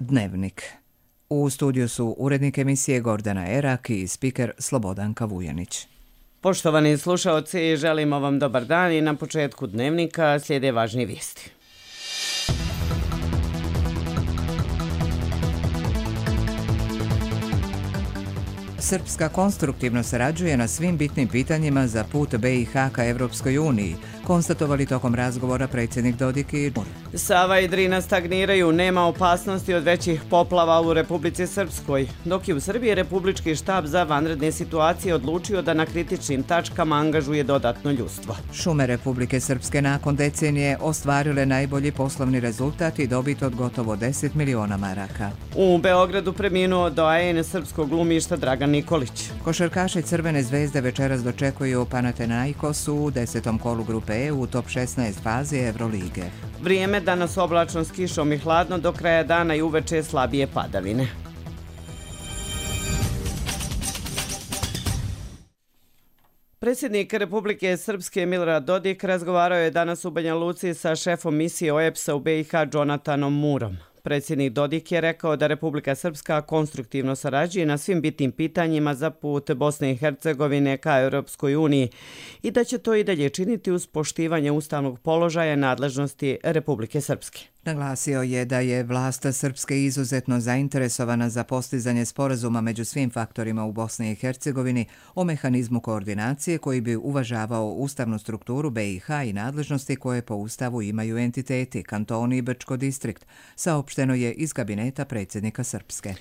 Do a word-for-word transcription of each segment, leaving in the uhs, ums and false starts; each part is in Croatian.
Dnevnik. U studiju su urednik emisije Gordana Erak i spiker Slobodanka Vujanić. Poštovani slušaoci, želimo vam dobar dan i na početku Dnevnika slijede važni vijesti. Srpska konstruktivno sarađuje na svim bitnim pitanjima za put B i H ka Evropskoj uniji, konstatovali tokom razgovora predsjednik Dodik i Mur. Sava i Drina stagniraju, nema opasnosti od većih poplava u Republici Srpskoj, dok je u Srbiji Republički štab za vanredne situacije odlučio da na kritičnim tačkama angažuje dodatno ljudstvo. Šume Republike Srpske nakon decenije ostvarile najbolji poslovni rezultat i dobit od gotovo deset miliona maraka. U Beogradu preminuo doajen srpskog glumišta Dragan Nikolić. Košarkaši Crvene zvezde večeras dočekuju Panathinaikos u desetom kolu grupe E u top šesnaest fazi Evrolige. Vrijeme danas oblačno s kišom i hladno, do kraja dana i uveče slabije padavine. Predsjednik Republike Srpske Milorad Dodik razgovarao je danas u Banja Luci sa šefom misije O E B S-a u B i H Džonatanom Murom. Predsjednik Dodik je rekao da Republika Srpska konstruktivno sarađuje na svim bitnim pitanjima za put Bosne i Hercegovine ka Europskoj uniji i da će to i dalje činiti uz poštivanje ustavnog položaja nadležnosti Republike Srpske. Naglasio je da je vlast Srpske izuzetno zainteresovana za postizanje sporazuma među svim faktorima u Bosni i Hercegovini o mehanizmu koordinacije koji bi uvažavao ustavnu strukturu B i H i nadležnosti koje po ustavu imaju entiteti, kantoni i Brčko distrikt, saopšteno je iz kabineta predsjednika Srpske.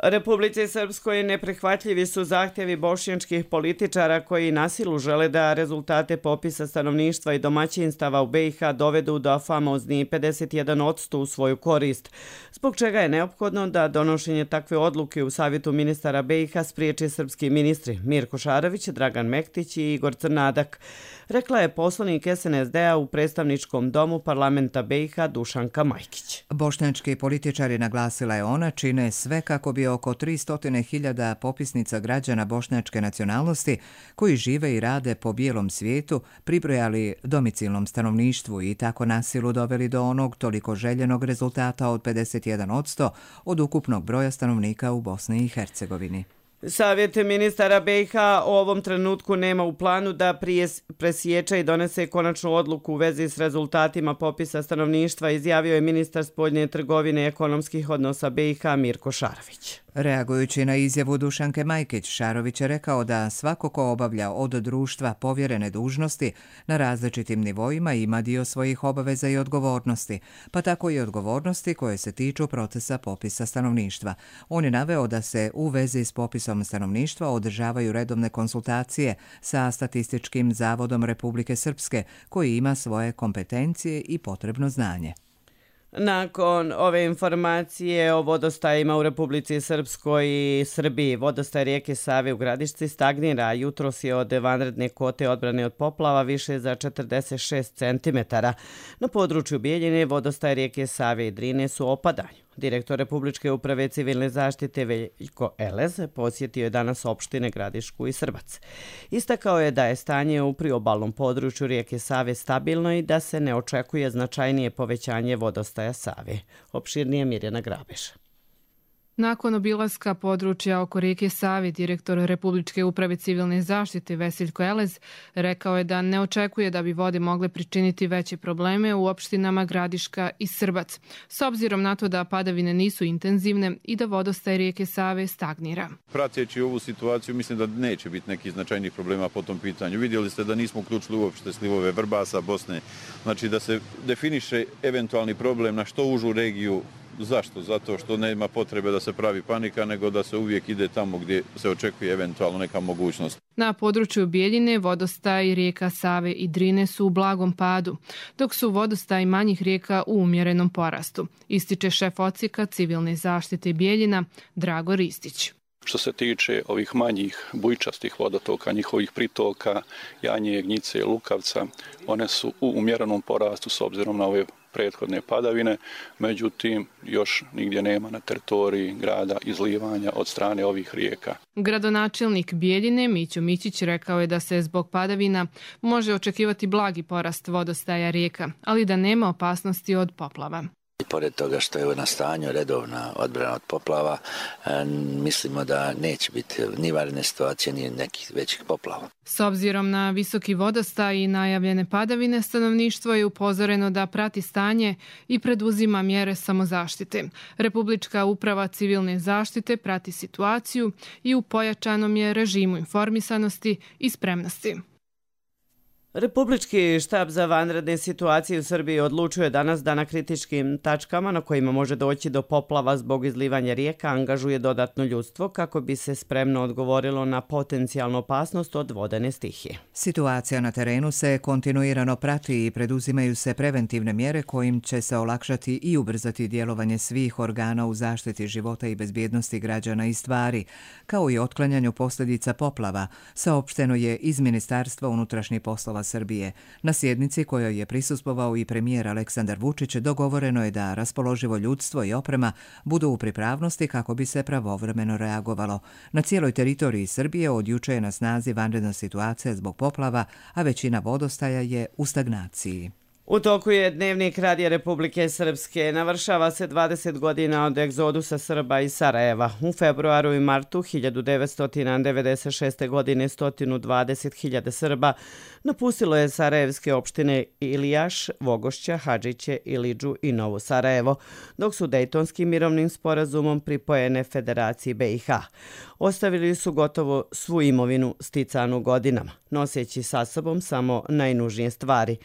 Republici Srpskoj neprihvatljivi su zahtjevi bošnjačkih političara koji na silu žele da rezultate popisa stanovništva i domaćinstava u B i H dovedu do famozni pedeset jedan posto u svoju korist, zbog čega je neophodno da donošenje takve odluke u Savjetu ministara B i H spriječi srpski ministri Mirko Šarović, Dragan Mektić i Igor Crnadak, rekla je poslanik S N S D-a u predstavničkom domu parlamenta B i H Dušanka Majkić. Bošnjački političari, naglasila je ona, čine sve kako bi oko tristo hiljada popisnica građana bošnjačke nacionalnosti koji žive i rade po bijelom svijetu pribrojali domicilnom stanovništvu i tako na silu doveli do onog toliko željenog rezultata od pedeset jedan posto od ukupnog broja stanovnika u Bosni i Hercegovini. Savjet ministara B i H u ovom trenutku nema u planu da prije presječe i donese konačnu odluku u vezi s rezultatima popisa stanovništva, izjavio je ministar spoljne trgovine i ekonomskih odnosa B i H Mirko Šarović. Reagujući na izjavu Dušanke Majkić, Šarović je rekao da svako ko obavlja od društva povjerene dužnosti na različitim nivoima ima dio svojih obaveza i odgovornosti, pa tako i odgovornosti koje se tiču procesa popisa stanovništva. On je naveo da se u vezi s popisom stanovništva održavaju redovne konsultacije sa Statističkim zavodom Republike Srpske, koji ima svoje kompetencije i potrebno znanje. Nakon ove informacije o vodostajima u Republici Srpskoj i Srbiji, vodostaj rijeke Save u Gradišci stagnira, jutros je od vanredne kote odbrane od poplava više za četrdeset šest centimetara. Na području Bijeljine vodostaj rijeke Save i Drine su u opadanju. Direktor Republičke uprave civilne zaštite Veljko Elez posjetio je danas opštine Gradišku i Srbac. Istakao je da je stanje u priobalnom području rijeke Save stabilno i da se ne očekuje značajnije povećanje vodostaja Save. Opširnije Mirjana Grabeša. Nakon obilaska područja oko rijeke Save, direktor Republičke uprave civilne zaštite Veseljko Elez rekao je da ne očekuje da bi vode mogle pričiniti veće probleme u opštinama Gradiška i Srbac, s obzirom na to da padavine nisu intenzivne i da vodostaj rijeke Save stagnira. Prateći ovu situaciju, mislim da neće biti nekih značajnih problema po tom pitanju. Vidjeli ste da nismo uključili uopšte slivove Vrbasa, Bosne, znači da se definiše eventualni problem na što užu regiju. Zašto? Zato što nema potrebe da se pravi panika, nego da se uvijek ide tamo gdje se očekuje eventualno neka mogućnost. Na području Bijeljine vodostaj rijeka Save i Drine su u blagom padu, dok su vodostaj manjih rijeka u umjerenom porastu, ističe šef odsjeka civilne zaštite Bijeljina Drago Ristić. Što se tiče ovih manjih bujčastih vodotoka, njihovih pritoka, Janje, Gnjice, Lukavca, one su u umjerenom porastu s obzirom na ove prethodne padavine, međutim još nigdje nema na teritoriji grada izlivanja od strane ovih rijeka. Gradonačelnik Bijeljine Mićo Mićić rekao je da se zbog padavina može očekivati blagi porast vodostaja rijeka, ali da nema opasnosti od poplava. I pored toga što je na stanju redovna odbrana od poplava, mislimo da neće biti ni vanredne situacije, ni nekih većih poplava. S obzirom na visoki vodostaj i najavljene padavine, stanovništvo je upozoreno da prati stanje i preduzima mjere samozaštite. Republička uprava civilne zaštite prati situaciju i u pojačanom je režimu informisanosti i spremnosti. Republički štab za vanredne situacije u Srbiji odlučuje danas da na kritičkim tačkama na kojima može doći do poplava zbog izlivanja rijeka angažuje dodatno ljudstvo kako bi se spremno odgovorilo na potencijalnu opasnost od vodene stihije. Situacija na terenu se kontinuirano prati i preduzimaju se preventivne mjere kojim će se olakšati i ubrzati djelovanje svih organa u zaštiti života i bezbjednosti građana i stvari, kao i otklanjanju posljedica poplava, saopšteno je iz Ministarstva unutrašnjih poslova Srbije. Na sjednici kojoj je prisustvovao i premijer Aleksandar Vučić dogovoreno je da raspoloživo ljudstvo i oprema budu u pripravnosti kako bi se pravovremeno reagovalo. Na cijeloj teritoriji Srbije od juče je na snazi vanredna situacija zbog poplava, a većina vodostaja je u stagnaciji. U toku je dnevnik Radija Republike Srpske. Navršava se dvadeset godina od egzodusa Srba iz Sarajeva. U februaru i martu hiljadu devetsto devedeset šeste. godine sto dvadeset hiljada Srba napustilo je sarajevske opštine Ilijaš, Vogošća, Hadžiće, Ilidžu i Novo Sarajevo, dok su Dejtonskim mirovnim sporazumom pripojene Federaciji be i ha. Ostavili su gotovo svu imovinu sticanu godinama, noseći sa sobom samo najnužnije stvari.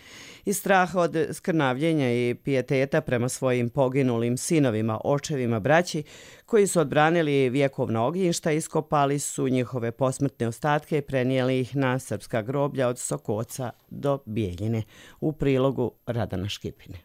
Iz straha od skrnavljenja i pijeteta prema svojim poginulim sinovima, očevima, braći, koji su odbranili vjekovna ognjišta, iskopali su njihove posmrtne ostatke i prenijeli ih na srpska groblja od Sokoca do Bijeljine. U prilogu Radana Škipine.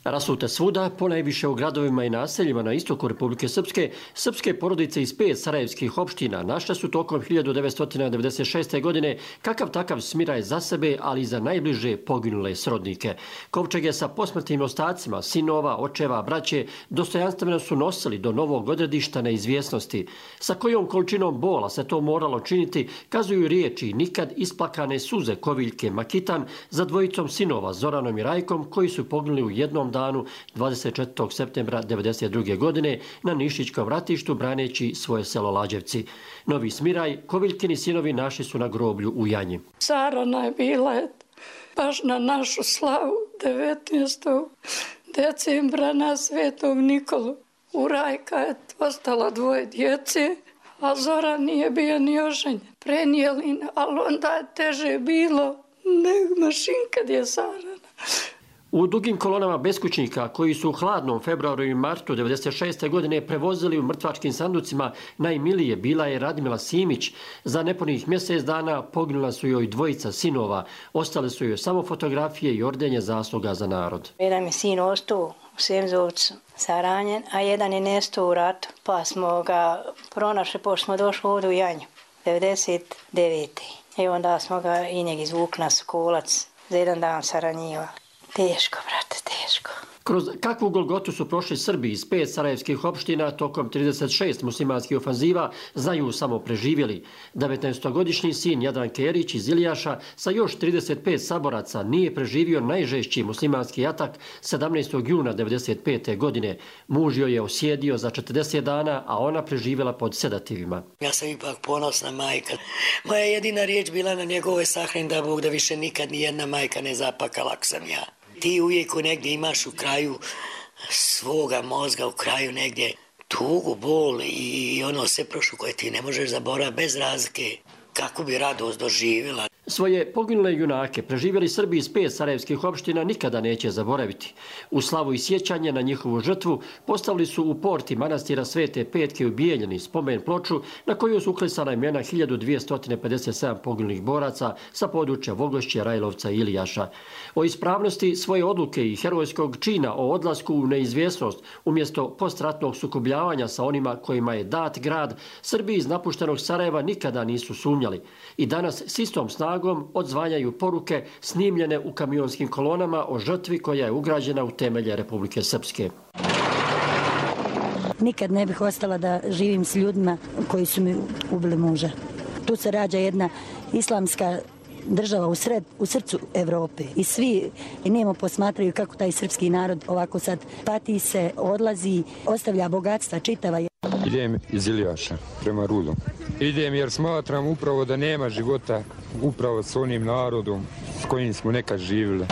Rasute svuda, ponajviše u gradovima i naseljima na istoku Republike Srpske, srpske porodice iz pet sarajevskih opština našle su tokom hiljadu devetsto devedeset šeste. godine kakav takav smiraj za sebe, ali i za najbliže poginule srodnike. Kovčege sa posmrtnim ostacima, sinova, očeva, braće, dostojanstveno su nosili do novog odredišta neizvjesnosti. Sa kojom količinom bola se to moralo činiti, kazuju riječi nikad isplakane suze Koviljke Makitan za dvojicom sinova Zoranom i Rajkom, koji su poginuli u jednom danu dvadeset četvrtog septembra devedeset druge. godine na Nišićkom ratištu braneći svoje selo Lađevci. Novi smiraj Koviljkini sinovi našli su na groblju u Janji. Sarana je bila baš na našu slavu devetnaestog decembra na Svetog Nikolu. U Rajka je ostalo dvoje djece, a Zoran nije bio ni oženjen. Prenijeli, ali onda je teže bilo nego mašin kad je Sarana. U dugim kolonama beskućnika koji su u hladnom februaru i martu devedeset šeste. godine prevozili u mrtvačkim sanducima najmilije bila je Radmila Simić. Za nepunih mjesec dana poginula su joj dvojica sinova. Ostale su joj samo fotografije i ordenje zasluga za narod. Jedan mi sin ostao u Semzovcu saranjen, a jedan je nestao u ratu. Pa smo ga pronašli, pošto smo došli ovdje u Janju, devedeset devete. I onda smo ga i njeg izvukli na Sokolac, za jedan dan saranjiva. Teško, brate, teško. Kroz kakvu golgotu su prošli Srbi iz pet sarajevskih opština tokom trideset šest muslimanskih ofanziva, znaju samo preživjeli. devetnaestogodišnji sin Jadranke Erić iz Ilijaša sa još trideset pet saboraca nije preživio najžešći muslimanski atak sedamnaestog juna devedeset pete. godine. Muž joj je osjedio za četrdeset dana, a ona preživjela pod sedativima. Ja sam ipak ponosna majka. Moja jedina riječ bila na njegove sahrane da Bog da više nikad ni jedna majka ne zapakala ako sam ja. Ti uvijek negdje imaš u kraju svoga mozga, u kraju negdje tugu, bol i ono sve prošlo koje ti ne možeš zaboraviti bez razlike. Kako bi radost doživjela. Svoje poginule junake preživjeli Srbi iz pet sarajevskih opština nikada neće zaboraviti. U slavu i sjećanje na njihovu žrtvu postavili su u porti manastira Svete Petke u Bijeljini spomen ploču na koju su uklesana imena hiljadu dvjesto pedeset sedam poginulih boraca sa područja Vogošće, Rajlovca i Ilijaša. O ispravnosti svoje odluke i herojskog čina o odlasku u neizvjesnost umjesto postratnog sukobljavanja sa onima kojima je dat grad, Srbi iz napuštenog Sarajeva nikada nisu sumnjali. I danas s istom snagom odzvanjaju poruke snimljene u kamionskim kolonama o žrtvi koja je ugrađena u temelje Republike Srpske. Nikad ne bih ostala da živim s ljudima koji su mi ubili muža. Tu se rađa jedna islamska država u, sred, u srcu Evrope i svi nemo posmatraju kako taj srpski narod ovako sad pati se, odlazi, ostavlja bogatstva čitava. Idem iz Iljaša prema Rudu. Idem jer smatram upravo da nema života upravo s onim narodom s kojim smo nekad živjeli.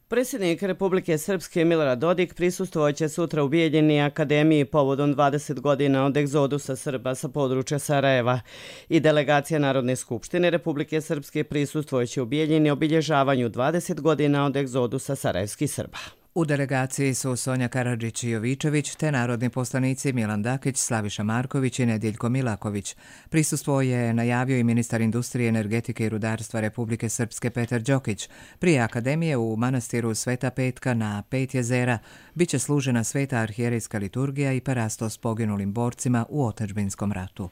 Predsjednik Republike Srpske Milorad Dodik prisustvovaće sutra u Bijeljini akademiji povodom dvadeset godina od egzodusa Srba sa područja Sarajeva i delegacija Narodne skupštine Republike Srpske prisustvovaće u Bijeljini obilježavanju dvadeset godina od egzodusa sarajevskih Srba. U delegaciji su Sonja Karadžić-Jovičević te narodni poslanici Milan Dakić, Slaviša Marković i Nedjeljko Milaković. Prisustvo je najavio i ministar industrije, energetike i rudarstva Republike Srpske Petar Đokić. Prije akademije u manastiru Sveta Petka na Pet jezera biće služena sveta arhijerejska liturgija i parastos poginulim borcima u otadžbinskom ratu.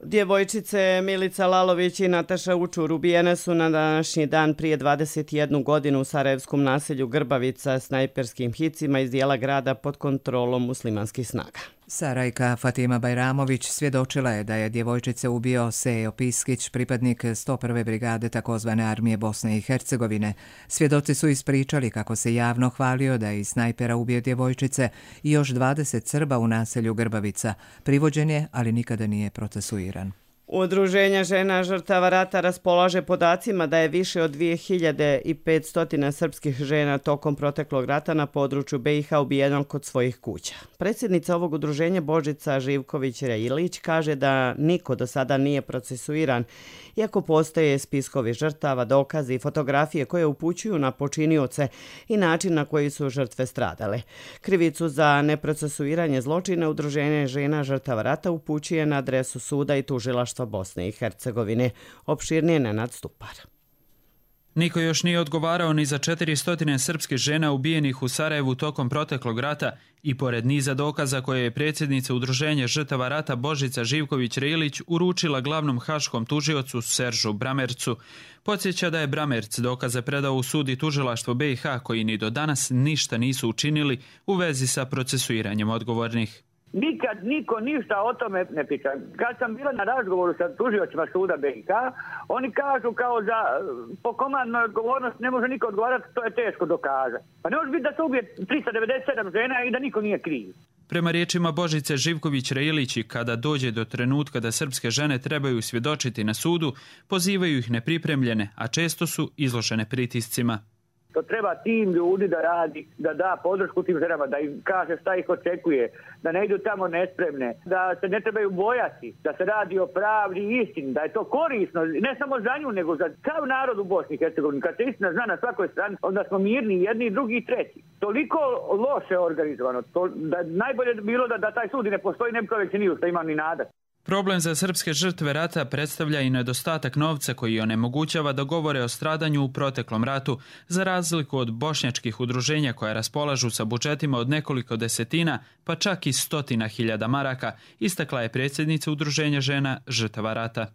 Djevojčice Milica Lalović i Nataša Učur ubijene su na današnji dan prije dvadeset jednu godinu u sarajevskom naselju Grbavica snajperskim hicima iz dijela grada pod kontrolom muslimanskih snaga. Sarajka Fatima Bajramović svjedočila je da je djevojčice ubio Sejo Piskić, pripadnik sto prve brigade takozvane armije Bosne i Hercegovine. Svjedoci su ispričali kako se javno hvalio da je iz snajpera ubio djevojčice i još dvadeset Srba u naselju Grbavica. Privođen je, ali nikada nije procesuiran. Udruženja žena žrtava rata raspolaže podacima da je više od dvije hiljade petsto srpskih žena tokom proteklog rata na području B i H ubijeno kod svojih kuća. Predsjednica ovog udruženja Božica Živković-Reilić kaže da niko do sada nije procesuiran, iako postoje spiskovi žrtava, dokazi i fotografije koje upućuju na počinioce i način na koji su žrtve stradale. Krivicu za neprocesuiranje zločina udruženje žena žrtava rata upućuje na adresu suda i tužilaštva Bosne i Hercegovine. Opširnije Nenad Stupar. Niko još nije odgovarao ni za četiristo srpskih žena ubijenih u Sarajevu tokom proteklog rata i pored niza dokaza koje je predsjednica udruženja žrtava rata Božica Živković-Reilić uručila glavnom haškom tužiocu Seržu Bramercu. Podsjeća da je Bramerc dokaze predao u sud i tužilaštvo B i H koji ni do danas ništa nisu učinili u vezi sa procesuiranjem odgovornih. Nikad niko ništa o tome ne priča. Kad sam bila na razgovoru sa tužiocima suda B i H, oni kažu kao za po komandnoj odgovornost ne može niko odgovarati, to je teško dokazati. Pa ne može biti da se ubije tristo devedeset sedam žena i da niko nije kriv. Prema riječima Božice Živković-Reilić, kada dođe do trenutka da srpske žene trebaju svjedočiti na sudu, pozivaju ih nepripremljene, a često su izložene pritiscima. To treba tim ljudi da radi, da da podršku tim ženama, da im kaže šta ih očekuje, da ne idu tamo nespremne, da se ne trebaju bojati, da se radi o pravdi i istini, da je to korisno, ne samo za nju, nego za sav narod u Bosni i Hercegovini. Kad se istina zna na svakoj strani, onda smo mirni jedni, drugi i treći. Toliko loše organizovano, to, da najbolje bilo da, da taj sud ne postoji, ne bi čovjek se nije što ima ni nada. Problem za srpske žrtve rata predstavlja i nedostatak novca koji onemogućava da govore o stradanju u proteklom ratu, za razliku od bošnjačkih udruženja koja raspolažu sa budžetima od nekoliko desetina, pa čak i stotina hiljada maraka, istakla je predsjednica udruženja žena žrtava rata.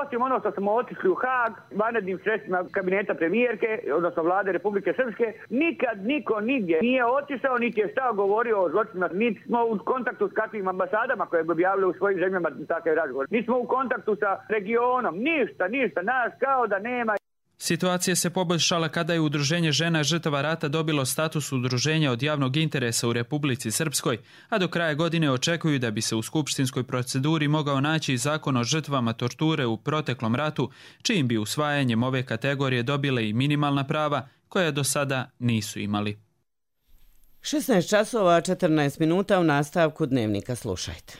Osim ono što smo otišli u Haag, vanrednim sredstvima kabineta premijerke, odnosno vlade Republike Srpske, nikad niko nigdje nije otišao, niti je stao govorio o zločinima, niti smo u kontaktu s kakvim ambasadama koje bi objavili u svojim zemljama takve razgovore. Niti smo u kontaktu sa regionom, ništa, ništa, nas kao da nema. Situacija se poboljšala kada je Udruženje žena žrtava rata dobilo status udruženja od javnog interesa u Republici Srpskoj, a do kraja godine očekuju da bi se u skupštinskoj proceduri mogao naći zakon o žrtvama torture u proteklom ratu, čijim bi usvajanjem ove kategorije dobile i minimalna prava koja do sada nisu imali. šesnaest časova četrnaest minuta u nastavku Dnevnika slušajte.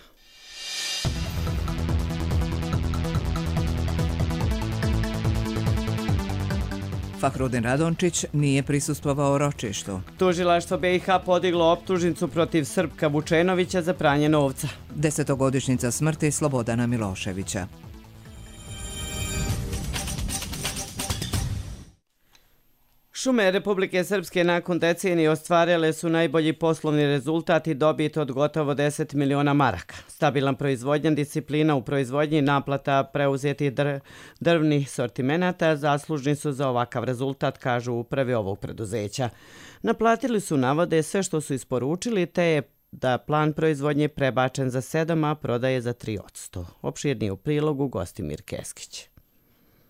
Fahrudin Radončić nije prisustvovao ročištu. Tužilaštvo B i H podiglo optužnicu protiv Srpka Vučenovića za pranje novca. Desetogodišnjica smrti Slobodana Miloševića. Šume Republike Srpske nakon decenije ostvarile su najbolji poslovni rezultat i dobit od gotovo deset miliona maraka. Stabilan proizvodnja, disciplina u proizvodnji i naplata preuzetih dr drvnih sortimenata zaslužni su za ovakav rezultat, kažu upravi ovog preduzeća. Naplatili su, navode, sve što su isporučili, te je da plan proizvodnje prebačen za sedam, a prodaje za tri posto. Opširnije u prilogu Gostimir Keskić.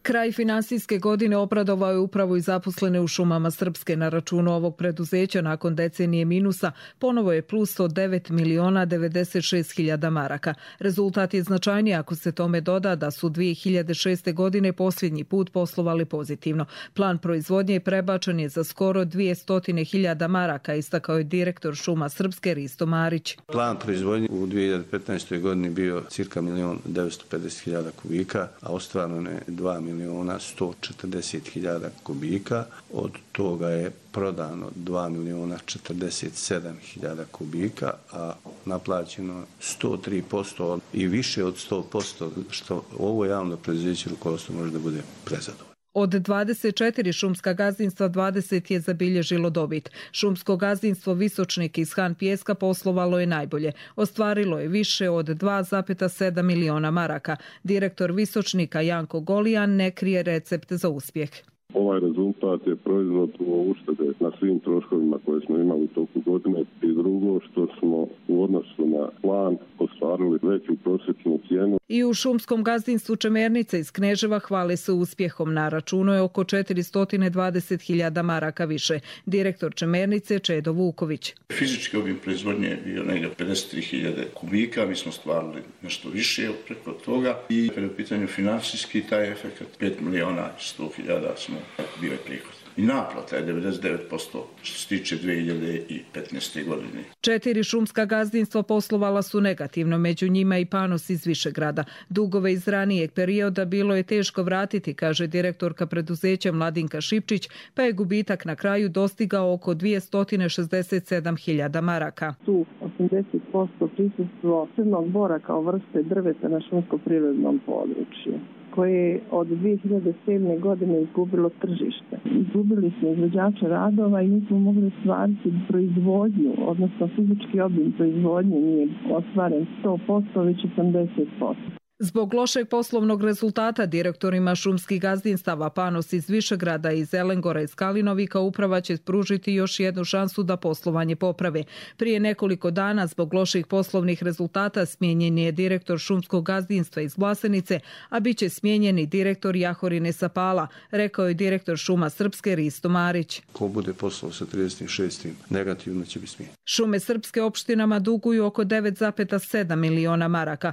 Kraj finansijske godine obradovao je upravo i zaposlene u šumama Srpske. Na računu ovog preduzeća nakon decenije minusa ponovo je plus od devet miliona devedeset šest hiljada maraka. Rezultat je značajniji ako se tome doda da su dvije hiljade šeste. godine posljednji put poslovali pozitivno. Plan proizvodnje prebačen je za skoro dvjesto hiljada maraka, istakao je direktor šuma Srpske Risto Marić. Plan proizvodnje u dvije hiljade petnaestoj. godini bio cirka milion devetsto pedeset hiljada kubika, a ostvareno je dva miliona sto četrdeset hiljada kubika. Od toga je prodano dva miliona četrdeset sedam hiljada kubika, a naplaćeno sto tri posto i više od sto posto, što ovo javno preduzeće rukovodstvo može da bude prezadovoljno. Od dvadeset četiri šumska gazdinstva dvadeset je zabilježilo dobit. Šumsko gazdinstvo Visočnik iz Han Pijeska poslovalo je najbolje. Ostvarilo je više od dva zarez sedam miliona maraka. Direktor Visočnika Janko Golijan ne krije recept za uspjeh. Ovaj rezultat je proizvod uštede na svim troškovima koje smo imali u toku godine i drugo što smo u odnosu na plan ostvarili veću prosječnu cijenu. I u šumskom gazdinstvu Čemernice iz Kneževa hvale se uspjehom. Na računu je oko četiristo dvadeset hiljada maraka više. Direktor Čemernice Čedo Vuković. Fizički obim proizvodnje je bio negdje pedeset tri hiljade kubika, mi smo stvarili nešto više preko toga i kada je u pitanju financijski taj efekt pet miliona sto hiljada smo bio je prihod. I naplata je devedeset devet posto što se tiče dvije hiljade petnaeste. godine. Četiri šumska gazdinstva poslovala su negativno, među njima i Panos iz Višegrada. Dugove iz ranijeg perioda bilo je teško vratiti, kaže direktorka preduzeća Mladinka Šipčić, pa je gubitak na kraju dostigao oko dvjesto šezdeset sedam hiljada maraka. Tu osamdeset posto prisustvo crnog bora kao vrste drveta na šumsko-prirodnom području, koje je od dvije hiljade sedme. godine izgubilo tržište. Izgubili smo izvođača radova i nismo mogli ostvariti proizvodnju, odnosno fizički obim proizvodnje nije ostvaren sto posto, već osamdeset posto. Zbog lošeg poslovnog rezultata direktorima šumskih gazdinstava Panos iz Višegrada i Zelengora iz Kalinovika uprava će pružiti još jednu šansu da poslovanje poprave. Prije nekoliko dana zbog loših poslovnih rezultata smijenjen je direktor šumskog gazdinstva iz Vlasenice, a bit će smijenjen i direktor Jahorine Sapala, rekao je direktor šuma Srpske Risto Marić. Ko bude poslao sa trideset šest. negativno će biti smijenjen. Šume Srpske opštinama duguju oko devet zarez sedam miliona maraka.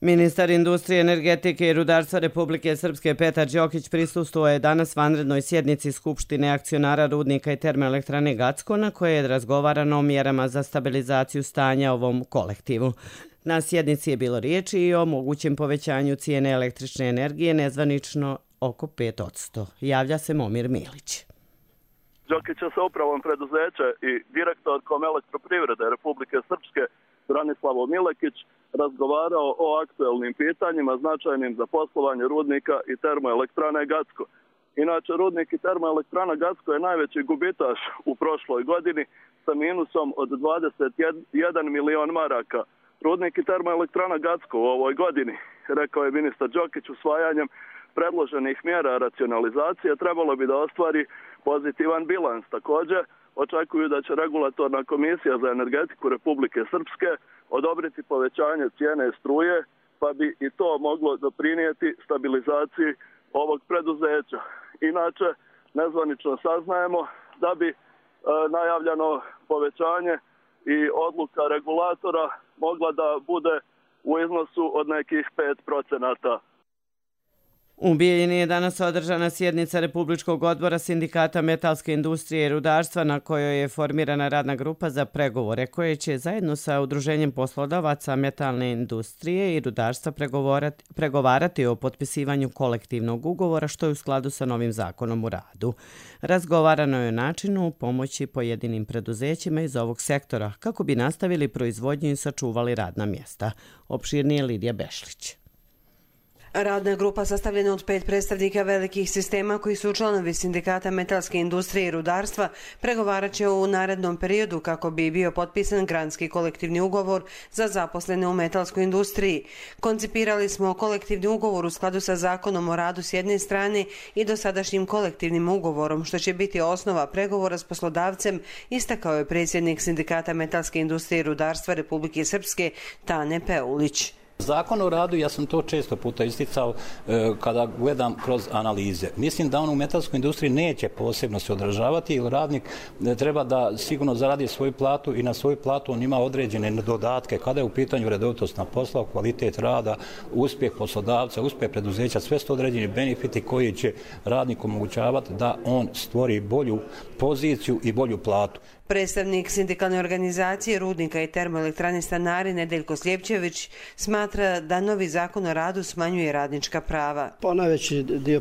Ministar industrije, energetike i rudarstva Republike Srpske Petar Đokić prisustvovao je danas vanrednoj sjednici Skupštine akcionara rudnika i termoelektrane Gacko, na kojoj je razgovarano o mjerama za stabilizaciju stanja ovom kolektivu. Na sjednici je bilo riječi i o mogućem povećanju cijene električne energije, nezvanično oko pet posto. Javlja se Momir Milić. Đokić sa upravom preduzeća i direktorkom Elektroprivrede Republike Srpske Branislavo Milekić razgovarao o aktuelnim pitanjima značajnim za poslovanje rudnika i termoelektrane Gacko. Inače, rudnik i termoelektrana Gacko je najveći gubitaš u prošloj godini sa minusom od dvadeset jedan milion maraka. Rudnik i termoelektrana Gacko u ovoj godini, rekao je ministar Đokić, usvajanjem predloženih mjera racionalizacije trebalo bi da ostvari pozitivan bilans. Također, očekuju da će regulatorna komisija za energetiku Republike Srpske odobriti povećanje cijene struje, pa bi i to moglo doprinijeti stabilizaciji ovog preduzeća. Inače, nezvanično saznajemo da bi e, najavljeno povećanje i odluka regulatora mogla da bude u iznosu od nekih pet procenata. U Bijeljini je danas održana sjednica Republičkog odbora Sindikata metalske industrije i rudarstva na kojoj je formirana radna grupa za pregovore koje će zajedno sa Udruženjem poslodavaca metalne industrije i rudarstva pregovarati o potpisivanju kolektivnog ugovora što je u skladu sa novim zakonom o radu. Razgovarano je o načinu pomoći pojedinim preduzećima iz ovog sektora kako bi nastavili proizvodnju i sačuvali radna mjesta. Opširnije Lidija Bešlić. Radna grupa sastavljena od pet predstavnika velikih sistema koji su članovi sindikata metalske industrije i rudarstva pregovarat će u narednom periodu kako bi bio potpisan granski kolektivni ugovor za zaposlene u metalskoj industriji. Koncipirali smo kolektivni ugovor u skladu sa zakonom o radu s jedne strane i dosadašnjim kolektivnim ugovorom, što će biti osnova pregovora s poslodavcem, istakao je predsjednik sindikata metalske industrije i rudarstva Republike Srpske Tane Peulić. Zakon o radu, ja sam to često puta isticao e, kada gledam kroz analize. Mislim da on u metalskoj industriji neće posebno se odražavati, jer radnik treba da sigurno zaradi svoju platu i na svoju platu on ima određene dodatke kada je u pitanju redovitost na poslu, kvalitet rada, uspjeh poslodavca, uspjeh preduzeća, sve su određeni benefiti koji će radniku omogućavati da on stvori bolju poziciju i bolju platu. Predstavnik sindikalne organizacije Rudnika i termoelektrane Stanari Nedeljko Sljepčević smatra da novi zakon o radu smanjuje radnička prava. Pa najveći dio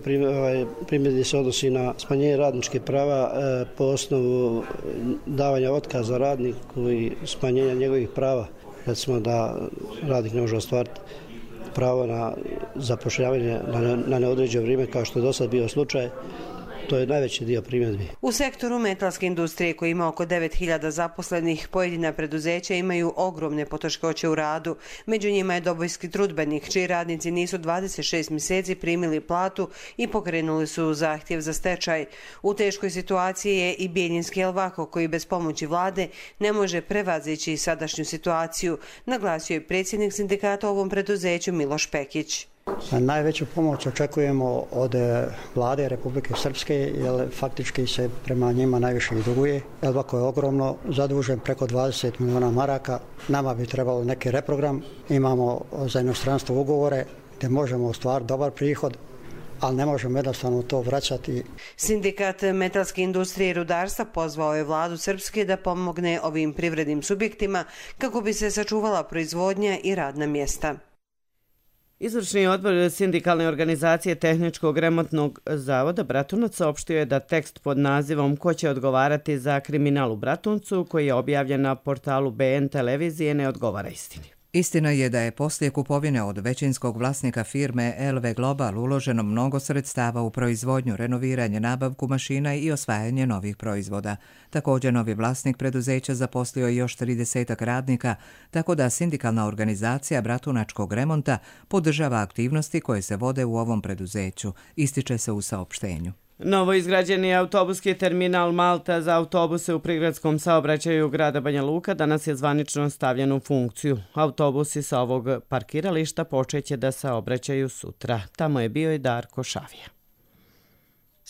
primjedbi se odnosi na smanjenje radničkih prava po osnovu davanja otkaza radniku i smanjenja njegovih prava. Recimo da radnik ne može ostvariti pravo na zapošljavanje na neodređeno vrijeme kao što je do sad bio slučaj. To je najveći dio primjedbi. U sektoru metalske industrije koji ima oko devet hiljada zaposlenih, pojedina preduzeća imaju ogromne poteškoće u radu. Među njima je Dobojski trudbenik, čiji radnici nisu dvadeset šest mjeseci primili platu i pokrenuli su zahtjev za stečaj. U teškoj situaciji je i Bijeljinski Elvako, koji bez pomoći vlade ne može prevazići sadašnju situaciju, naglasio je predsjednik sindikata u ovom preduzeću Miloš Pekić. Najveću pomoć očekujemo od vlade Republike Srpske, jer faktički se prema njima najviše i duguje. Elvako je ogromno zadužen, preko dvadeset milijuna maraka. Nama bi trebalo neki reprogram. Imamo za inostranstvo ugovore gdje možemo ostvariti dobar prihod, ali ne možemo jednostavno to vraćati. Sindikat metalske industrije i rudarstva pozvao je vladu Srpske da pomogne ovim privrednim subjektima kako bi se sačuvala proizvodnja i radna mjesta. Izvršni odbor sindikalne organizacije Tehničkog remontnog zavoda Bratunac saopštio je da tekst pod nazivom Ko će odgovarati za kriminal u Bratuncu, koji je objavljen na portalu B N televizije, ne odgovara istini. Istina je da je poslije kupovine od većinskog vlasnika firme L V Global uloženo mnogo sredstava u proizvodnju, renoviranje, nabavku mašina i osvajanje novih proizvoda. Također novi vlasnik preduzeća zaposlio je još tridesetak radnika, tako da sindikalna organizacija Bratunačkog remonta podržava aktivnosti koje se vode u ovom preduzeću, ističe se u saopštenju. Novo izgrađeni autobuski terminal Malta za autobuse u prigradskom saobraćaju grada Banja Luka danas je zvanično stavljen u funkciju. Autobusi sa ovog parkirališta počeće da saobraćaju sutra. Tamo je bio i Darko Šavija.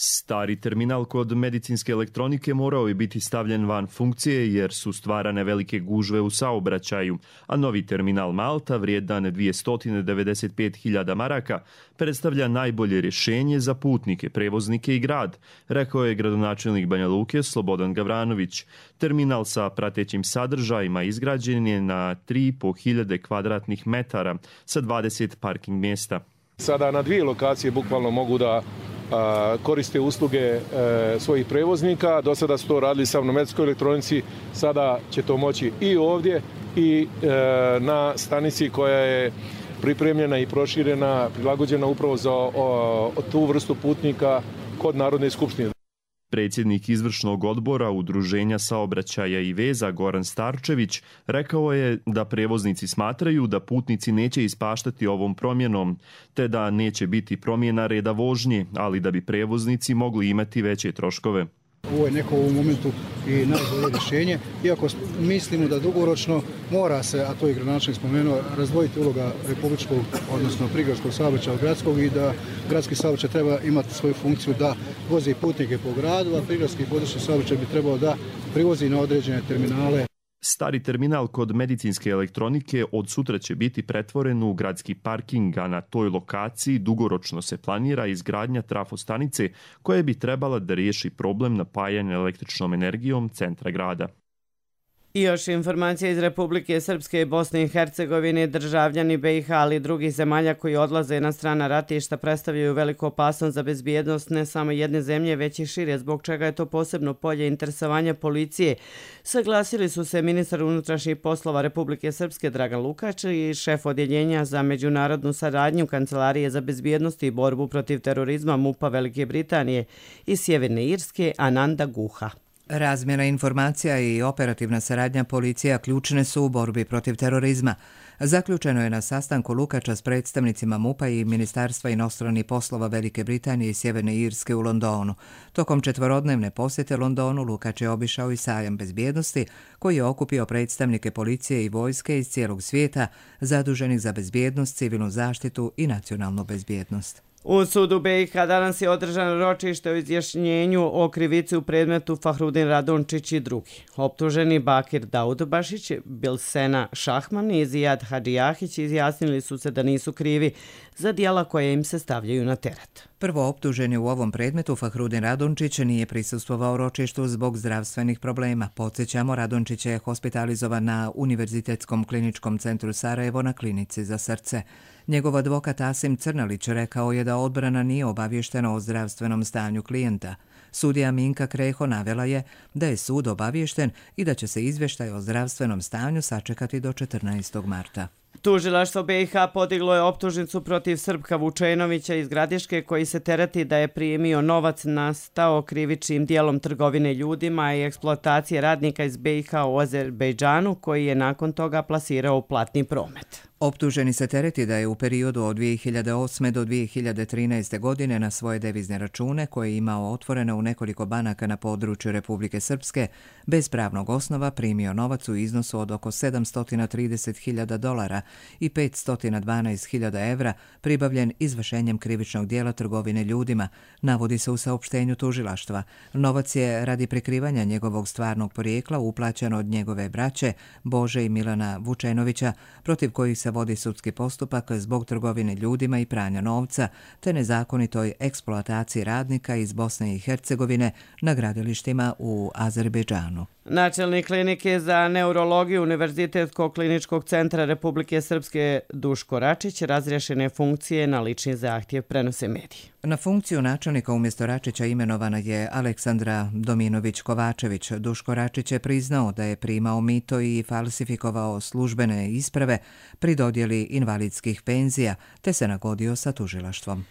Stari terminal kod medicinske elektronike morao je biti stavljen van funkcije jer su stvarane velike gužve u saobraćaju, a novi terminal Malta, vrijedan dvjesto devedeset pet hiljada maraka, predstavlja najbolje rješenje za putnike, prevoznike i grad, rekao je gradonačelnik Banja Luke Slobodan Gavranović. Terminal sa pratećim sadržajima izgrađen je na tri i po hiljade kvadratnih metara sa dvadeset parking mjesta. Sada na dvije lokacije bukvalno mogu da a, koriste usluge e, svojih prevoznika. Do sada su to radili samo na medicinskoj elektronici, sada će to moći i ovdje i e, na stanici koja je pripremljena i proširena, prilagođena upravo za o, o, tu vrstu putnika kod Narodne skupštine. Predsjednik izvršnog odbora Udruženja saobraćaja i veza Goran Starčević rekao je da prevoznici smatraju da putnici neće ispaštati ovom promjenom, te da neće biti promjena reda vožnje, ali da bi prevoznici mogli imati veće troškove. Ovo je neko u momentu i najbolje rješenje, iako mislimo da dugoročno mora se, a to je gradonačelnik spomenuo, razdvojiti uloga republičkog, odnosno prigradskog saobraćaja od gradskog i da gradski saobraćaj treba imati svoju funkciju da vozi putnike po gradu, a prigradski područni saobraćaj bi trebao da privozi na određene terminale. Stari terminal kod medicinske elektronike od sutra će biti pretvoren u gradski parking, a na toj lokaciji dugoročno se planira izgradnja trafostanice koja bi trebala da riješi problem napajanja električnom energijom centra grada. I još informacija iz Republike Srpske i Bosne i Hercegovine. Državljani B i H, ali i drugih zemalja koji odlaze na strana ratišta predstavljaju veliku opasnost za bezbjednost ne samo jedne zemlje, već i šire, zbog čega je to posebno polje interesovanja policije. Saglasili su se ministar unutrašnjih poslova Republike Srpske Dragan Lukač i šef odjeljenja za međunarodnu saradnju Kancelarije za bezbjednost i borbu protiv terorizma MUP-a Velike Britanije i Sjeverne Irske Ananda Guha. Razmjena informacija i operativna saradnja policija ključne su u borbi protiv terorizma. Zaključeno je na sastanku Lukača s predstavnicima MUP-a i Ministarstva inostranih poslova Velike Britanije i Sjeverne Irske u Londonu. Tokom četvorodnevne posjete Londonu Lukač je obišao i sajam bezbjednosti koji je okupio predstavnike policije i vojske iz cijelog svijeta zaduženih za bezbjednost, civilnu zaštitu i nacionalnu bezbjednost. U sudu B i H danas je održano ročište o izjašnjenju o krivici u predmetu Fahrudin Radončić i drugi. Optuženi Bakir Daudbašić, Bilsena Šahman i Zijad Hadžijahić izjasnili su se da nisu krivi za djela koje im se stavljaju na teret. Prvo optuženi u ovom predmetu Fahrudin Radončić nije prisustvovao ročištu zbog zdravstvenih problema. Podsjećamo, Radončić je hospitalizovan na Univerzitetskom kliničkom centru Sarajevo na klinici za srce. Njegov advokat Asim Crnalić rekao je da odbrana nije obavještena o zdravstvenom stanju klijenta. Sudija Minka Kreho navela je da je sud obaviješten i da će se izvještaj o zdravstvenom stanju sačekati do četrnaestog marta. Tužilaštvo B i H podiglo je optužnicu protiv Srpka Vučenovića iz Gradiške koji se tereti da je primio novac nastao krivičnim dijelom trgovine ljudima i eksploatacije radnika iz B i H u Azerbejdžanu koji je nakon toga plasirao u platni promet. Optuženi se tereti da je u periodu od dvije hiljade osme do dvije hiljade trinaeste. godine na svoje devizne račune koje je imao otvorene u nekoliko banaka na području Republike Srpske bez pravnog osnova primio novac u iznosu od oko sedamsto trideset hiljada dolara i petsto dvanaest hiljada evra pribavljen izvršenjem krivičnog dijela trgovine ljudima, navodi se u saopštenju tužilaštva. Novac je radi prikrivanja njegovog stvarnog porijekla uplaćen od njegove braće Bože i Milana Vučenovića, protiv kojih se vodi sudski postupak zbog trgovine ljudima i pranja novca te nezakonitoj eksploataciji radnika iz Bosne i Hercegovine na gradilištima u Azerbejdžanu. Načelnik klinike za neurologiju Univerzitetskog kliničkog centra Republike Srpske Duško Račić razrješene funkcije na lični zahtjev, prenose mediji. Na funkciju načelnika umjesto Račića imenovana je Aleksandra Dominović-Kovačević. Duško Račić je priznao da je primao mito i falsifikovao službene isprave pri dodjeli invalidskih penzija te se nagodio sa tužilaštvom.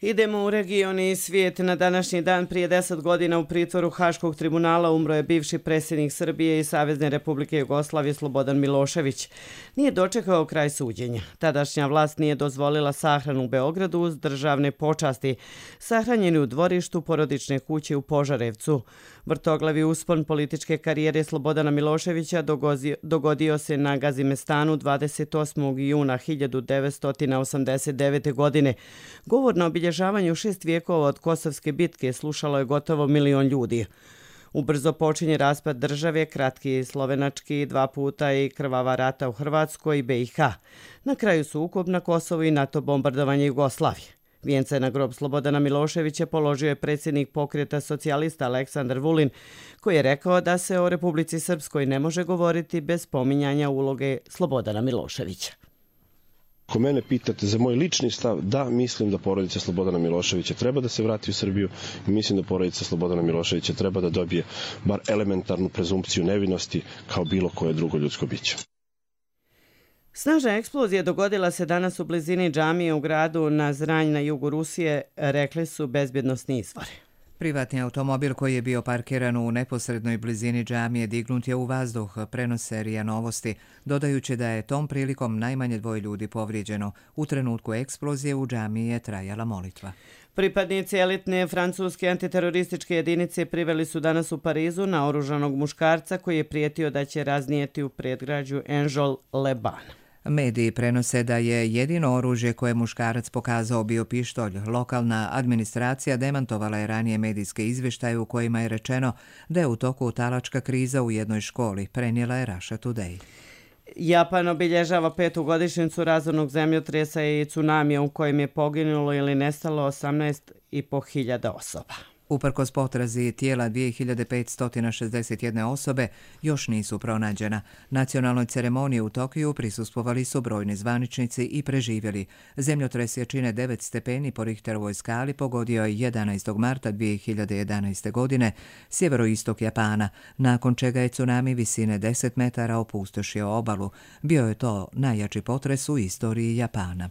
Idemo u region i svijet. Na današnji dan prije deset godina u pritvoru Haškog tribunala umro je bivši predsjednik Srbije i Savezne Republike Jugoslavije Slobodan Milošević. Nije dočekao kraj suđenja. Tadašnja vlast nije dozvolila sahranu u Beogradu uz državne počasti. Sahranjeni u dvorištu porodične kuće u Požarevcu. Vrtoglavi uspon političke karijere Slobodana Miloševića dogodio, dogodio se na Gazimestanu dvadeset osmog juna hiljadu devetsto osamdeset devete. godine. Govor na obilježavanju šest vijekova od Kosovske bitke slušalo je gotovo milion ljudi. Ubrzo počinje raspad države, kratki slovenački, dva puta i krvava rata u Hrvatskoj i B i H. Na kraju sukob na Kosovu i NATO bombardovanje Jugoslavije. Vijence na grob Slobodana Miloševića položio je predsjednik pokreta socijalista Aleksandar Vulin, koji je rekao da se o Republici Srpskoj ne može govoriti bez spominjanja uloge Slobodana Miloševića. Ako mene pitate za moj lični stav, da, mislim da porodica Slobodana Miloševića treba da se vrati u Srbiju i mislim da porodica Slobodana Miloševića treba da dobije bar elementarnu prezumpciju nevinosti kao bilo koje drugo ljudsko biće. Snažna eksplozija dogodila se danas u blizini džamije u gradu na Zranj na jugu Rusije, rekli su bezbjednosni izvori. Privatni automobil koji je bio parkiran u neposrednoj blizini džamije dignut je u vazduh, prenose R I A Novosti, dodajući da je tom prilikom najmanje dvoje ljudi povrijeđeno. U trenutku eksplozije u džamiji je trajala molitva. Pripadnici elitne francuske antiterorističke jedinice priveli su danas u Parizu naoružanog muškarca koji je prijetio da će raznijeti u predgrađu Enjol-le-Bain. Mediji prenose da je jedino oružje koje muškarac pokazao bio pištolj. Lokalna administracija demantovala je ranije medijske izvještaje u kojima je rečeno da je u toku talačka kriza u jednoj školi, prenijela je Russia Today. Japan obilježava petu godišnjicu razornog zemljotresa i tsunamija u kojem je poginulo ili nestalo osamnaest i po hiljada osoba. Uprkos potrazi tijela dvije hiljade petsto šezdeset jedne osobe još nisu pronađena. Nacionalnoj ceremoniji u Tokiju prisustvovali su brojni zvaničnici i preživjeli. Zemljotres jačine devet stepeni po Richterovoj skali pogodio je jedanaestog marta dvije hiljade jedanaeste. godine sjeveroistok Japana, nakon čega je tsunami visine deset metara opustošio obalu. Bio je to najjači potres u istoriji Japana.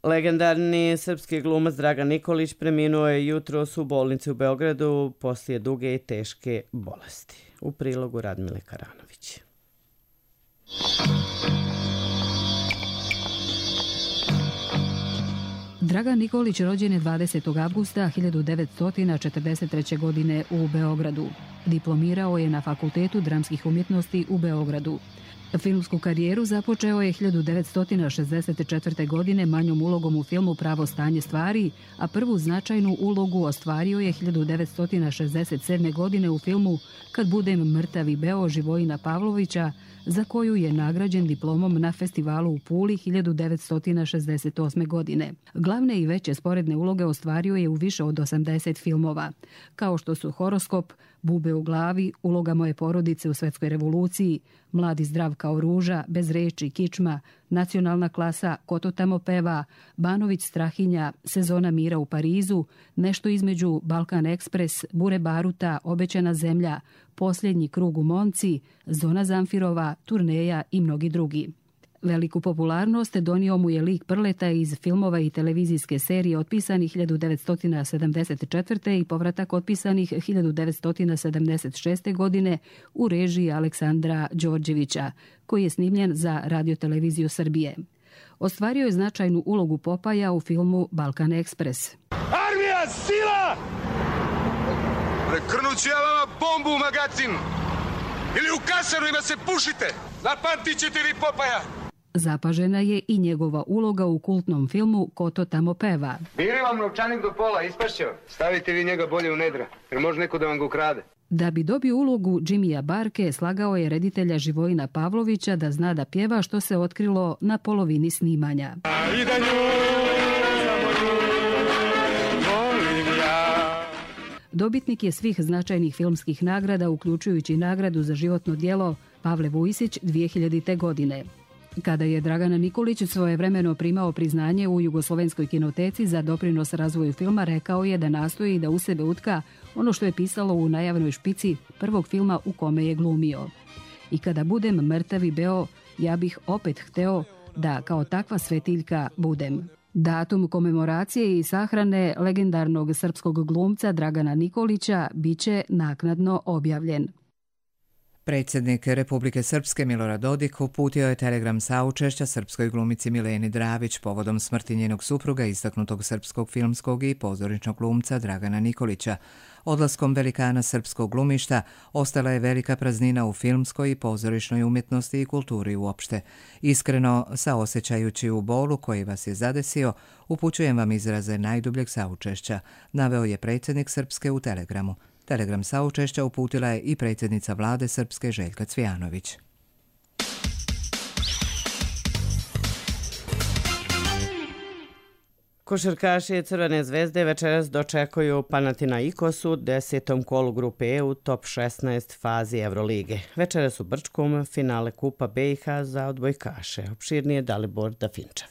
Legendarni srpski glumac Dragan Nikolić preminuo je jutros u bolnici u Beogradu poslije duge i teške bolesti. U prilogu Radmile Karanović. Dragan Nikolić rođen je dvadesetog avgusta hiljadu devetsto četrdeset treće. godine u Beogradu. Diplomirao je na Fakultetu dramskih umjetnosti u Beogradu. Filmsku karijeru započeo je hiljadu devetsto šezdeset četvrte. godine manjom ulogom u filmu Pravo stanje stvari, a prvu značajnu ulogu ostvario je hiljadu devetsto šezdeset sedme. godine u filmu Kad budem mrtav i beo Živojina Pavlovića, za koju je nagrađen diplomom na festivalu u Puli hiljadu devetsto šezdeset osme. godine. Glavne i veće sporedne uloge ostvario je u više od osamdeset filmova, kao što su Horoskop, Bube u glavi, Uloga moje porodice u Svetskoj revoluciji, Mladi zdrav kao ruža, Bez reči, Kičma, Nacionalna klasa, Ko to tamo peva, Banović Strahinja, Sezona mira u Parizu, Nešto između, Balkan Ekspres, Bure baruta, Obećana zemlja, Posljednji krug u Monci, Zona Zamfirova, Turneja i mnogi drugi. Veliku popularnost donio mu je lik Prleta iz filmova i televizijske serije otpisanih hiljadu devetsto sedamdeset četvrte. i povratak otpisanih hiljadu devetsto sedamdeset šeste. godine u režiji Aleksandra Đorđevića, koji je snimljen za radioteleviziju Srbije. Ostvario je značajnu ulogu Popaja u filmu Balkan Ekspres. Armija, sila! Prekrnut ću ja vama bombu u magacin! Ili u kasaru ima se pušite! Zapamtit ćete vi Popaja! Zapažena je i njegova uloga u kultnom filmu Ko to tamo peva. Bili vam novčanik do pola, ispašćeo. Stavite vi njega bolje u nedra, jer može neko da vam ga ukrade. Da bi dobio ulogu Jimmya Barke, slagao je reditelja Živojina Pavlovića da zna da pjeva, što se otkrilo na polovini snimanja. I da nju, samo nju, volim ja. Dobitnik je svih značajnih filmskih nagrada, uključujući nagradu za životno djelo Pavle Vujsić dvije hiljadite. godine. Kada je Dragan Nikolić svojevremeno primao priznanje u Jugoslovenskoj kinoteci za doprinos razvoju filma, rekao je da nastoji da u sebe utka ono što je pisalo u najavnoj špici prvog filma u kome je glumio. I kada budem mrtav i beo, ja bih opet hteo da kao takva svetiljka budem. Datum komemoracije i sahrane legendarnog srpskog glumca Dragana Nikolića biće naknadno objavljen. Predsjednik Republike Srpske Milorad Dodik uputio je telegram saučešća srpskoj glumici Mileni Dravić povodom smrti njenog supruga, istaknutog srpskog filmskog i pozorišnog glumca Dragana Nikolića. Odlaskom velikana srpskog glumišta ostala je velika praznina u filmskoj i pozorišnoj umjetnosti i kulturi uopšte. Iskreno, saosećajući u bolu koji vas je zadesio, upućujem vam izraze najdubljeg saučešća, naveo je predsjednik Srpske u telegramu. Telegram saučešća uputila je i predsjednica vlade Srpske Željka Cvijanović. Košarkaši Crvene zvezde večeras dočekuju Panathinaikos u desetom kolu grupe E u top šesnaest fazi Evrolige. Večeras u Brčkom finale Kupa B i H za odbojkaše. Opširnije Dalibor Dafinčev.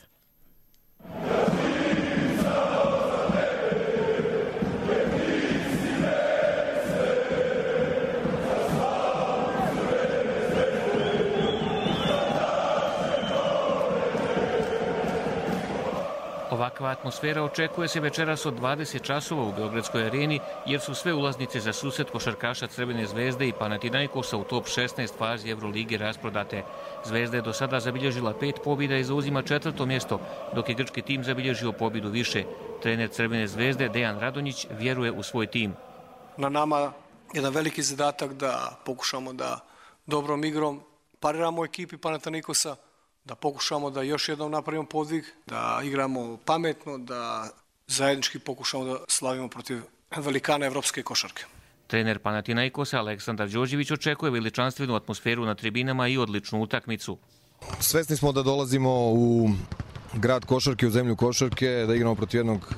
Ovakva atmosfera očekuje se večeras od dvadeset časova u Beogradskoj areni, jer su sve ulaznice za susret košarkaša Crvene zvezde i Panathinaikosa u top šesnaest fazi Evrolige rasprodate. Zvezda je do sada zabilježila pet pobjeda i zauzima četvrto mjesto, dok je grčki tim zabilježio pobjedu više. Trener Crvene zvezde Dejan Radonjić vjeruje u svoj tim. Na nama jedan veliki zadatak da pokušamo da dobrom igrom pariramo ekipi Panathinaikosa, da pokušamo da još jednom napravimo podvig, da igramo pametno, da zajednički pokušamo da slavimo protiv velikana evropske košarke. Trener Panathinaikosa Aleksandar Đorđević očekuje veličanstvenu atmosferu na tribinama i odličnu utakmicu. Svesni smo da dolazimo u grad košarke u zemlju košarke, da igramo protiv jednog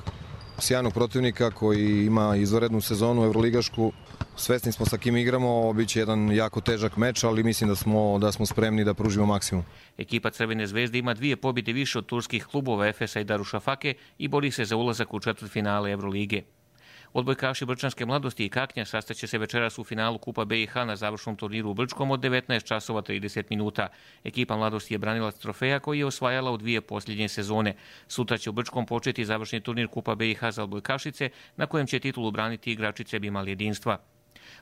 sjajnog protivnika koji ima izvanrednu sezonu evroligašku. Svesni smo sa kim igramo, biće jedan jako težak meč, ali mislim da smo, da smo spremni da pružimo maksimum. Ekipa Crvene zvezde ima dvije pobjede više od turskih klubova Efesa i Darušafake i bori se za ulazak u četvrtfinale Evrolige. Odbojkaši Brčanske mladosti i Kaknja sastaće se večeras u finalu Kupa B i H na završnom turniru u Brčkom od devetnaest časova trideset minuta. Ekipa mladosti je branilac trofeja koji je osvajala u dvije posljednje sezone. Sutra će u Brčkom početi završni turnir Kupa B i H za odbojkašice, na kojem će titulu braniti igračice Bimal jedinstva.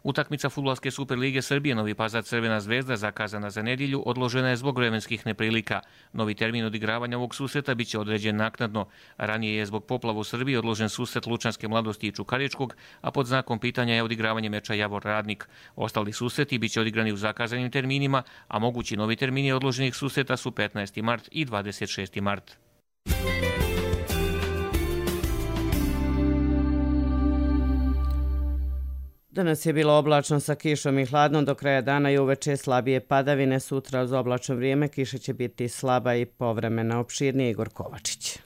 Utakmica Fudbalske Superlige Srbije Novi Pazar Crvena zvezda, zakazana za nedjelju, odložena je zbog vremenskih neprilika. Novi termin odigravanja ovog susreta biće određen naknadno. Ranije je zbog poplava u Srbiji odložen susret Lučanske mladosti i Čukaričkog, a pod znakom pitanja je odigravanje meča Javor Radnik. Ostali susreti biće odigrani u zakazanim terminima, a mogući novi termini odloženih susreta su petnaesti mart i dvadeset šesti mart. Danas je bilo oblačno sa kišom i hladno, do kraja dana i uveče slabije padavine. Sutra uz oblačno vrijeme kiša će biti slaba i povremena. Opširnije Igor Kovačić.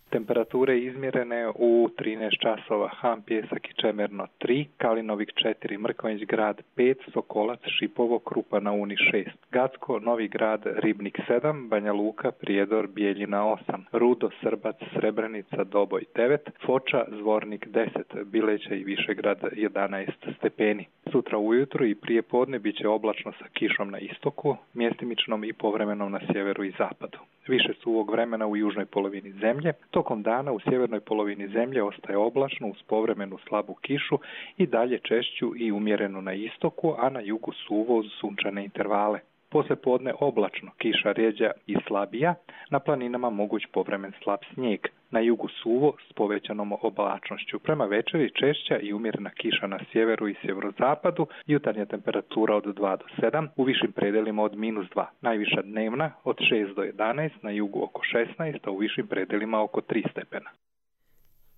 Temperature izmjerene u trinaest časova, Han Pjesak i Čemerno tri, Kalinovik četiri, Mrkonjić grad pet, Sokolac, Šipovo, Krupa na Uni šest, Gacko, Novi grad, Ribnik sedam, Banja Luka, Prijedor, Bijeljina osam, Rudo, Srbac, Srebrenica, Doboj devet, Foča, Zvornik deset, Bileća i Višegrad jedanaest stepeni. Sutra ujutro i prije podne bit će oblačno sa kišom na istoku, mjestimičnom i povremenom na sjeveru i zapadu. Više suvog vremena u južnoj polovini zemlje. Tokom dana u sjevernoj polovini zemlje ostaje oblačno uz povremenu slabu kišu i dalje češću i umjerenu na istoku, a na jugu suvo uz sunčane intervale. Poslije podne oblačno, kiša rjeđa i slabija, na planinama moguć povremen slab snijeg. Na jugu suvo s povećanom oblačnošću. Prema večeri češća i umjerena kiša na sjeveru i sjeverozapadu, jutarnja temperatura od dva do sedam, u višim predelima od minus dva. Najviša dnevna od šest do jedanaest, na jugu oko šesnaest, a u višim predelima oko tri stepena.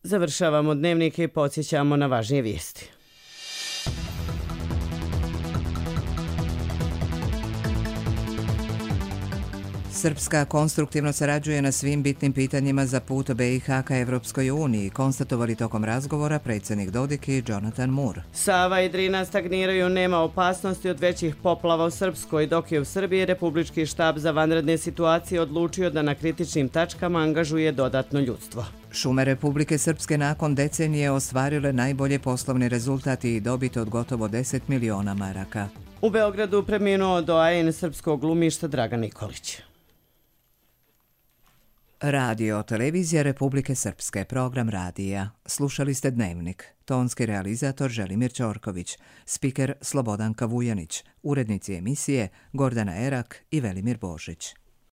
Završavamo dnevnike i podsjećamo na važnije vijesti. Srpska konstruktivno sarađuje na svim bitnim pitanjima za put B i H ka Evropskoj uniji, konstatovali tokom razgovora predsjednik Dodik i Jonathan Moore. Sava i Drina stagniraju, nema opasnosti od većih poplava u Srpskoj, dok je u Srbiji Republički štab za vanredne situacije odlučio da na kritičnim tačkama angažuje dodatno ljudstvo. Šume Republike Srpske nakon decenije ostvarile najbolje poslovni rezultati i dobit od gotovo deset miliona maraka. U Beogradu preminuo doajen srpskog glumišta Dragan Nikolić. Radio Televizija Republike Srpske, program radija. Slušali ste Dnevnik. Tonski realizator Želimir Ćorković, spiker Slobodanka Vujanić, urednici emisije Gordana Erak i Velimir Božić.